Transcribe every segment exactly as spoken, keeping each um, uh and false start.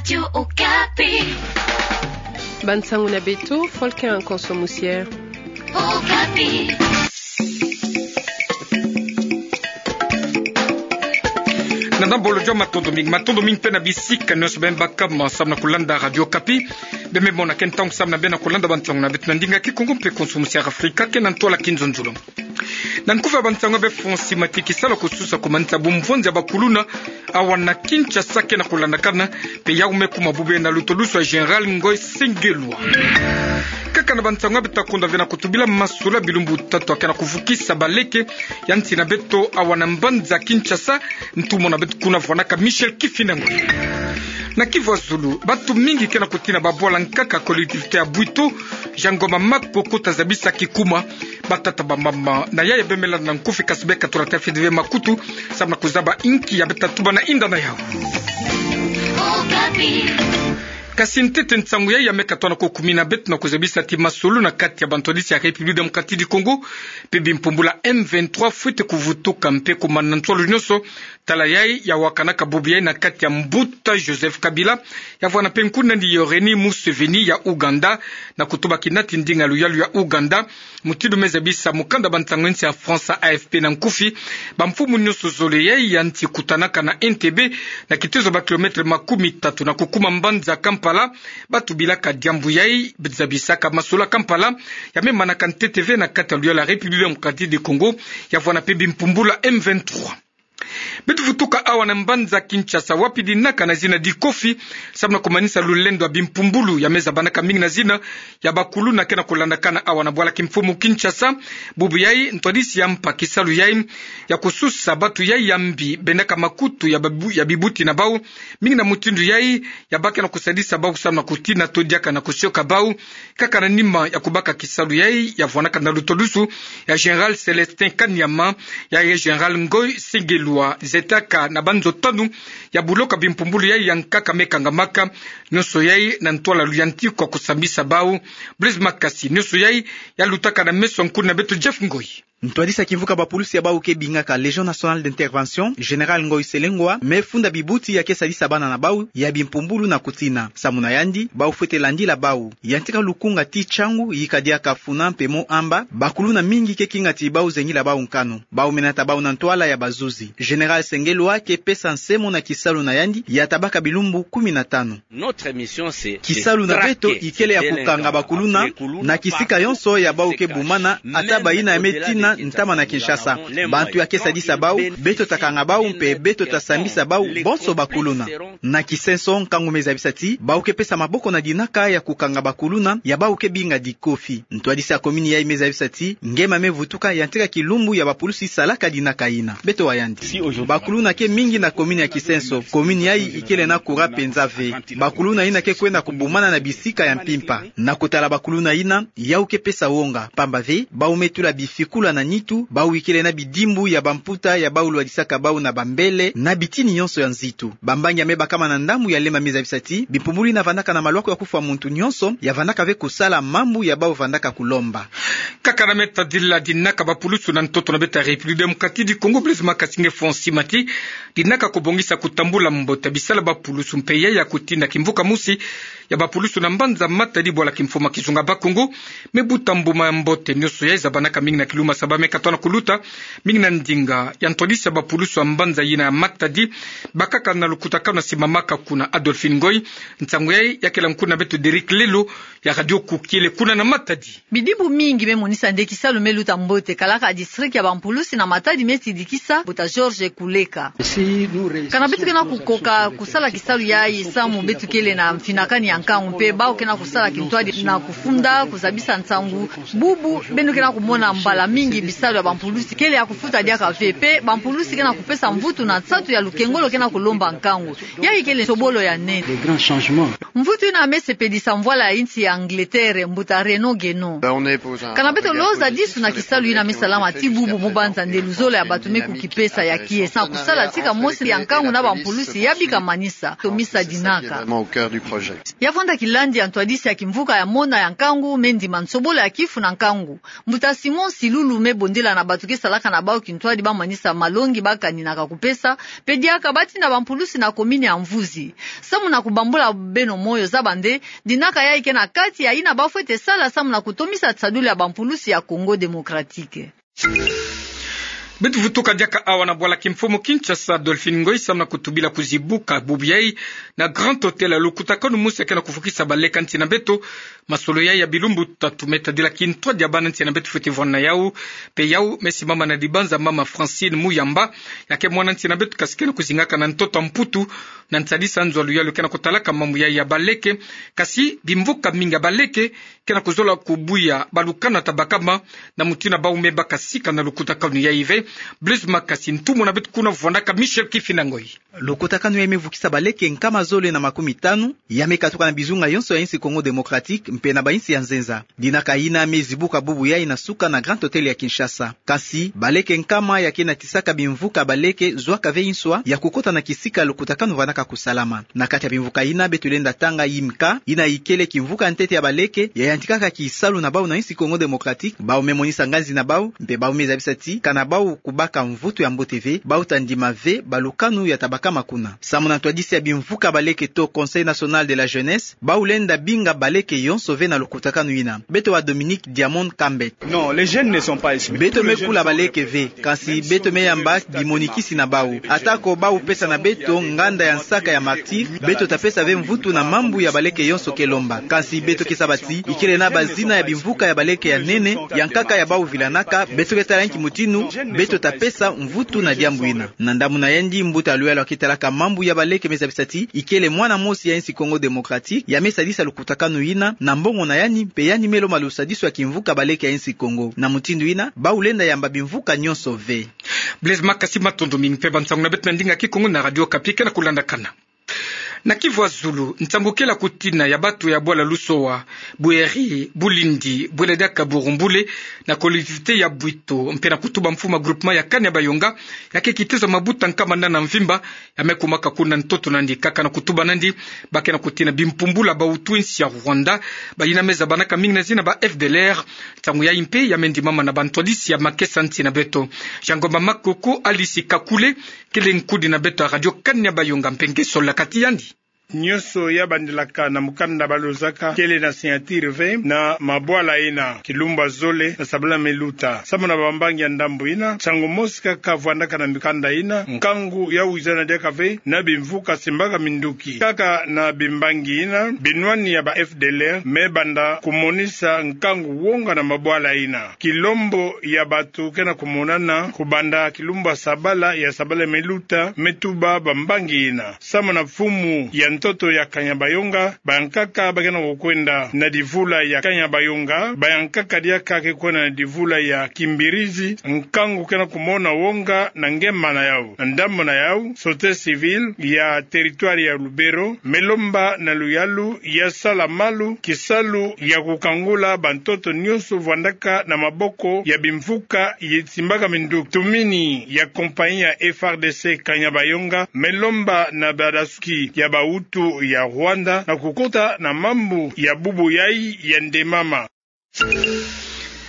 Radio Okapi. Bansango na beto, Volker Nkonso Musiere. Okapi. Na ndambo lo, matondo mingi, matondo mingi mpe na bisika nyonso beno baka samu na kulanda Radio Okapi. Beno me mona ke ntangu samu na beno kulanda bansango na beto na ndinga Kikongo mpe Nkonso Musiere Afrika, ke na ntwala Kinzonzolo. Na nkufi ya bansango ya beto, Francis Mati. Kisalu kususa kumanisa bumvonza ya bakuluna awa na Kinshasa ke na kulandakana, mpe yau me kuma bubu na lutolusu ya Général Ngoy Sengelwa. Kaka na bansango ya beto, ta kunda ve na kutubila masolo ya bilumbu tatu ya ke na kuvukisa baleke ya nsi na beto awa na mbanza Kinshasa. Ntumwa na beto kuna vwanaka Michel Kifinda Ngoi. Na Kivu ya Zulu, bantu mingi ke na kutina babwala nkaka collectivité ya Bwito, Jangoma, Makoko, ta zabisa kikuma. Batata, bamama na yaya, beno me landa na nkufi, kasi beno katula tafiti ve makutu samu na kuzaba inki ya beto ta tuba na inda na yau. Okapi. Kasi ntete nsangu yayi ya me katoa na ko kumina beto na kuzabisa ti masolo na kati ya bantwadisi ya République Démocratique du Congo mpe bimpumbulu ya M vingt-trois fwete kuvutuka mpe kumana na ntwalu nyonso. Tala yayi ya wakanaka bubu yayi na kati ya mbuta Joseph Kabila, ya vwana mpe nkuna ni Yoweri Museveni ya Ouganda, na kutuba kina ti ndinga luyalu ya Ouganda, mutindu me zabisa mukanda bansango ya nsi ya France A F P na nkufi, bamfumu nyonso zole yayi ya nsi kutanaka na Entebbe, na kitezo ba kilomètre makumi tatu na kukuma mbanza Kampala. Bantu bilaka diambu yayi zabisaka masolo ya Kampala, ya me manaka ntete ve na kati ya luyalu ya République Démocratique du Congo, ya vwana mpe bimpumbulu ya M vingt-trois. Beto vutuka awa na mbanza Kinshasa, wapi dinaka na zina di COFI, samu na kumanisa lulendo ya bimpumbulu ya me zabanaka mingi na zina ya bakuluna ke na kulandakana awa na bwala kimfumu Kinshasa. Bubu yayi, ntwadisi ya mpa kisalu yayi ya kususa bantu yayi ya mbi bendaka makutu ya babu-, ya bibuti na bau, mingi na mutindu yayi ya baka na kusadisa bau samu na kutina to diaka na kusioka bau. Kaka na nima ya kubaka kisalu yayi, ya vwanaka na lutolusu ya Général Célestin Kanyama, ya ye Général Ngoy Sengelwa, zetaka na banzo tanu ya buloka bimpumbulu yayi ya nkaka me kangamaka, nyonso yayi na ntwala luyantiku ya kusambisa bau. Blaise Makasi, nyonso yayi ya lutaka na meso ya nkuna na beto Jeff Ngoy. Ntwadisi ya kimvuka bapulusi ya bau ke bingaka Légion Nationale d'Intervention, Général Ngoy Sengelwa, me funda bibuti ya ke sadisa bana na bau ya bimpumbulu na kutina. Samu na yandi, bau fwete landila bau. Yantika lukunga ti ntiangu yika diaka funa mpe mo amba, bakuluna mingi ke kinga ti bau zengila bau nkanu. Bau me nata bau na ntwala ya bazuzi. Général Sengelwa ke pesa nsemo na kisalu na yandi ya tabaka bilumbu kumi na tano. Kisalu na beto ikele ya kukanga bakuluna na kisika yonso ya bau ke bumana, ata bayina ya me tina ntama na Kinshasa. Bantu ya ke sadisa bau, beto ta kanga bau mpe beto ta sambisa bau, bonso bakuluna. Na kisenso, nkangu me zabisa ti bau ke pesa maboko na dinaka ya kukanga bakuluna ya bau ke binga di COFI. Ntwadisi ya komini yayi me zabisa ti ngema me vutuka yantika kilumbu ya bapulusi salaka dinaka yina. Beto wa yandi. Bakuluna ke mingi na komini ya Kisenso. Komini yayi ikele na courant penza ve. Bakuluna yina ke kwenda kubumana na bisika ya mpimpa. Na kutala bakuluna yina, yau ke pesa wonga, pamba ve bau me tula bifikula na nitu, bau ikele na bidimbu ya bamputa ya bau lwadisaka bau na bambele na bitini yonso ya nzitu. Bambangi ya me bakama na ndambu ya lema me zabisa ti bimpumbulu yina vandaka na malwaku ya kufwa muntu nyonso, ya vandaka ve kusala mambu ya bau vandaka kulomba. Kaka na me tadila dinaka bapulusu na ntoto na beto ya République Démocratique du Congo, Blaise Makasi nge Francis Mati, dinaka kubongisa kutambula mbote bisalu ya bapulusu mpe yayi ya kutina kimvuka mosi ya bapulusu na mbanza Matadi, bwala kimfumu ya kizunga Bas-Congo, me buta mbuma ya mbote nyonso yayi zabanaka mingi na kilumbu ya saba me katoa na kuluta, mingi na ndinga ya ntwadisi ya bapulusu ya mbanza yina ya Matadi, bakaka na lukutakanu na simbamaka kuna Adolphine Ngoy. Nsangu yayi ya kela nkuna na beto Derrick Lelo ya Radio Kukiele kuna na Matadi. Bidimbu mingi me monisa nde kisalu me luta mbote, kalaka district ya bampulusi na Matadi me tidikisa, mbuta Georges Kuleka. Kana beto ke na kukoka kusala kisalu yayi samu beto kele na mfinakani ya nkangu, mpe bau ke na kusala kintwadi na kufunda, kuzabisa nsangu. Bubu beno ke na kumona mbala mingi bisalu ya bampulusi kele ya kufuta diaka ve, mpe bampulusi ke na kupesa mvutu na nsatu ya lukengolo ke na kulomba nkangu. Yayi kele nsobolo ya nene. Mvutu yina me sepelisa mvwala ya insi ya Angleterre, mbuta Renaud Guénon. Kana beto lozadisu na kisalu yina me salama ti bubu, mo banza nde luzolo ya bato me kukipesa ya kiese na kusala tika mosi ya nkangu na bampulusi ya bika manisa, to misa dinaka. Ya vanda kilandi ya ntwadisi ya kimvuka ya mona ya nkangu me ndima nsobolo ya kifu na nkangu. Mbuta Simon Silulu me bondila na bato ke salaka na bau kintwadi ba manisa malongi ba kaninaka kupesa, pe diaka ba tina bampulusi na komini ya Mvuzi. Samu na kubambula beno moyo, zaba nde dinaka yai ke na kati ya yina ba fwete sala samu na kutomisa tiadulu ya bampulusi ya Congo Démocratique. Beto vutuka diaka awa na bwala kimfumu Kinshasa, Dolphine Ngoyi, samu na kutubila kuzibuka bubu yai na Grand Hôtel ya lukutakanu mosi ya ke na kufukisa baleke ya nsi na beto. Masolo yai ya bilumbu tatu me tadila kintwadi ya bana nsi na beto fwete vwanda na yau. Pe yau me simama na dibanza mama Francine Muyamba, ya ke mwana nsi na beto kasi ke na kuzingaka na ntoto ya Mputu, na nsadisa nzo ya luyalu ke na kutalaka mambu yai ya baleke. Kasi bimvuka mingi ya baleke ke na kuzola kubuya balukanu ya tabakama, na mutindu bau me baka sika na lukutakanu yai ve. Blaise Makasi, ntumwa na beto kuna vwandaka Michel Kifina Ngoyi. Lukutakanu yai me vukisa baleke nkama zole na makumi tanu, ya me katuka na bizunga yonso ya insi Congo Démocratique mpe na bainsi ya nzenza. Dinaka yina me zibuka bubu yai na suka na Grand Hôtel ya Kinshasa. Kasi baleke nkama ya ke na tisaka bimvuka baleke zwaka ve nswa ya kukota na kisika lukutakanu vwandaka kusalama. Na kati ya bimvuka yina beto lenda tanga Imka, yina ikele kimvuka ya ntete ya baleke ya yantikaka kisalu na bau na insi Congo Démocratique. Bau me monisa nganzi na bau, mpe bau me zabisa ti kana bau kubaka mvutu ya mbote ve, bau ta ndima ve balukanu ya tabakama kuna. Samu na ntwadisi ya bimvuka baleke to Conseil National de la Jeunesse, bau lenda binga baleke yonso ve na lukutakanu yina. Beto wa Dominique Diamond Kambet. Non, les jeunes ne sont pas estimés. Beto me kula baleke ve, kasi beto me yamba bimonikisi na bau. Atako bau pesa na beto nganda ya nsaka ya martyr, beto ta pesa ve mvutu na mambu ya baleke yonso ke lomba. Kasi beto ke saba ti ikele na bazina ya bimvuka ya baleke ya nene, ya nkaka ya bau vilanaka, beto ke tala nki mutindu beto ta pesa mvutu na diambu yina. Na ndambu na yandi, mbuta ya luyalu ya ke talaka mambu ya baleke me zabisa ti ikele mwana mosi ya insi Congo Démocratique ya me sadisa lukutakanu yina na mbongo na yandi, mpe yandi me lomba lusadisu ya kimvuka baleke ya insi Congo. Na mutindu yina, bau lenda yamba bimvuka nyonso ve. Blaise Makasi, matondo mingi. Mpe bansangu na beto na ndinga Kikongo na Radio Okapi ke na kulandakana. Na Kivu ya Zulu, nsangu kele ya kutina ya bato ya bwala Lusoa, Bweri, Bulindi, bwela diaka Burumbule, na collectivité ya Bwito, mpe na kutuba mfumu ya groupement ya Kanya Bayonga, ya ke kitezo mabuta nkama nana mvimba, ya me kumaka kuna ntoto nandi. Kaka na kutuba nandi, ba ke na kutina bimpumbula bawutu insi ya Rwanda, bayina me zabanaka mingi na zina ba F D L R. Nsangu yai mpe ya me ndimama na bantwadisi ya makesa nsi na beto. Jean Ngomba Makoko, Alice Kakule, kele nkudi na beto ya Radio Kanya Bayonga, mpe nge solola kati yandi. Nyonso ya bandilaka na mukanda ba lozaka kele na signature ve na mabwala yina, kilumbu ya zole na sabala me luta. Samu na bambangi ya ndambu yina, nsangu mosi kaka vwandaka na mikanda yina, nkangu ya wizana diaka ve na bimvuka simbaka minduki. Kaka na bimbangi yina, binwani ya ba F D L R me banda kumonisa nkangu wonga na mabwala yina. Kilombo ya bato ke na kumonana kubanda kilumbu ya sabala, ya sabala me luta, me tuba bambangi yina. Samu na mfumu ya ntoto ya Kanya Bayonga, bayankaka ba ke na kukwenda na divula ya Kanya Bayonga, bayankaka diaka ke kwenda na divula ya Kimbirizi, nkangu ke na kumona wonga na ngema na yau. Na ndambu na yau, société civile ya territoire ya Lubero me lomba na luyalu ya sala malu kisalu ya kukangula bantoto nyonso vwandaka na maboko ya bimvuka ye simbaka minduki. Tumini ya compagnie ya F R D C Kanya Bayonga me lomba na badasuki ya bawutu ya Rwanda na kukota na mambu ya bubu yai ya ndemama.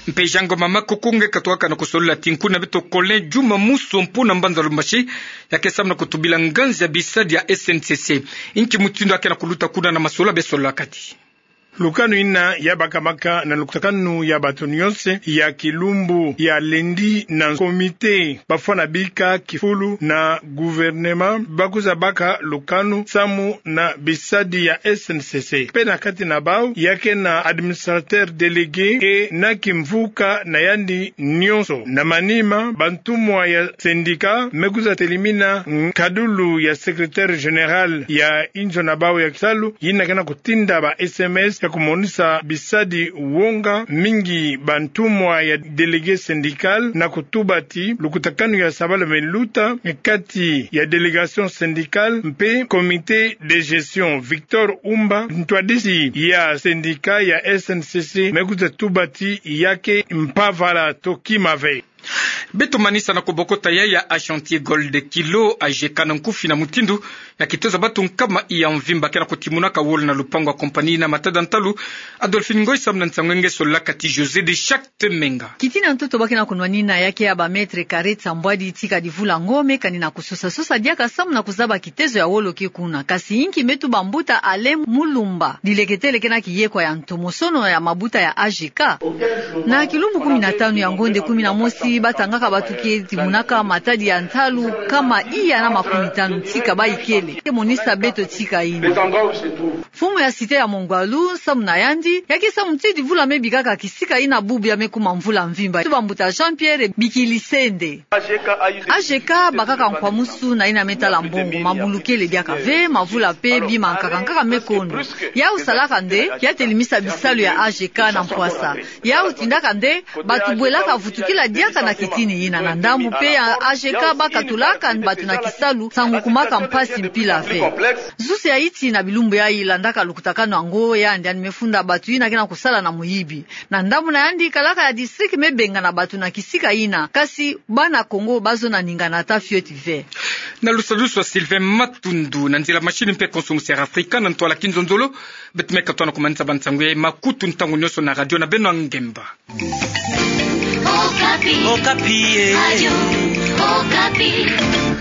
Mpe Jean Ngomba Makoko, nge katukaka na kusolola tinku na beto Colin Juma Muso mpo na mbanza Lubumbashi, ya ke samu na kutubila nganzi ya bisadi ya S N C C. Nki mutindu ya ke na kuluta kuna na masolo be solola kati. Lukanu yina ya bakamaka na lukutakanu ya bato nyonso ya kilumbu ya lundi na comité bafwana bika kifulu na gouvernement, ba kwiza baka lukanu samu na bisadi ya S N C C. Mpe na kati na bau, ya ke na administrateur délégué et na kimvuka na yandi nyonso. Na manima, bantumwa ya syndicat me kwiza telimina nkadulu ya secrétaire général ya inzo na bau ya kisalu, yina ke na kutinda ba S M S ya kumonisa bisadi wonga mingi. Bantumwa ya délégué syndical na kutuba ti lukutakanu ya sabala me luta kati ya délégation syndicale mpe comité de gestion. Victor Umba, ntwadisi ya syndicat ya S N C C, me kwiza tuba ti ya ke mpavala to kima ve. Beto manisa na kobokota ya ya Ashanti Gold Kilo, A G K, na nkufi na mutindu ya kitezo ya bato nkama ya mvimba ke na kotimunaka wolo na lupangu ya compagnie na matada ntalu. Adolphine Ngoy samu na nsangu nge, solaka ti José de Chacte Menga. Kitina ntoto ba ke na konwanina ya ke ya ba mètres carrés nsambwadi tika divula ngo, me kani na kososasosa diaka samu na kuzaba kitezo ya wolo ke kuna. Kasi inki me tuba mbuta Alain Mulumba dileketele ke na kiyekwa ya ntomosono ya mabuta ya A G K? Na kilumbu kumi na tanu ya ngonde kumi na mosi, batangaka bato ke timunaka matadi ya ntalu nkama iya na makumi tanu tika bayikele. Ke monisa beto tika yina. Mfumu ya cité ya Mongwalu, samu na yandi, ya ke samu tii divula me bikaka kisika yina bubu ya me kuma mvula mvimba. Tuba mbuta Jean-Pierre Bikilisende. A G K bakaka nkwamusu na yina me tala mbongo, mabulukele diaka ve, mavula pe bima nkaka nkaka me kondo. Yau salaka nde ya telimisa bisalu ya A G K na mpwasa. Yau tindaka nde bato bwelaka vutukila diaka na kitini yina. Na ndambu pe ya A G K bakatulaka bato na kisalu, nsangu kumaka mpasi mpila ve. Zuzi ya iti na bilumbu yayi, landaka lukutakanu yango, yandi yandi me funda bato yina ke na kosala na moyibi. Na ndambu na yandi, kalaka ya district me bengana bato na kisika yina. Kasi bana Kongo bazona ningana ata fioti ve. Na lusadusu ya Sylvain Matundu, na nzila machine mpe konso musi ya Afrika, na ntwala kinzonzolo, beto me katuka na komanisa bansangu ya makutu ntangu nyonso na radio na beno ya ngemba. Okapi. Okapi, eh. Radio Okapi.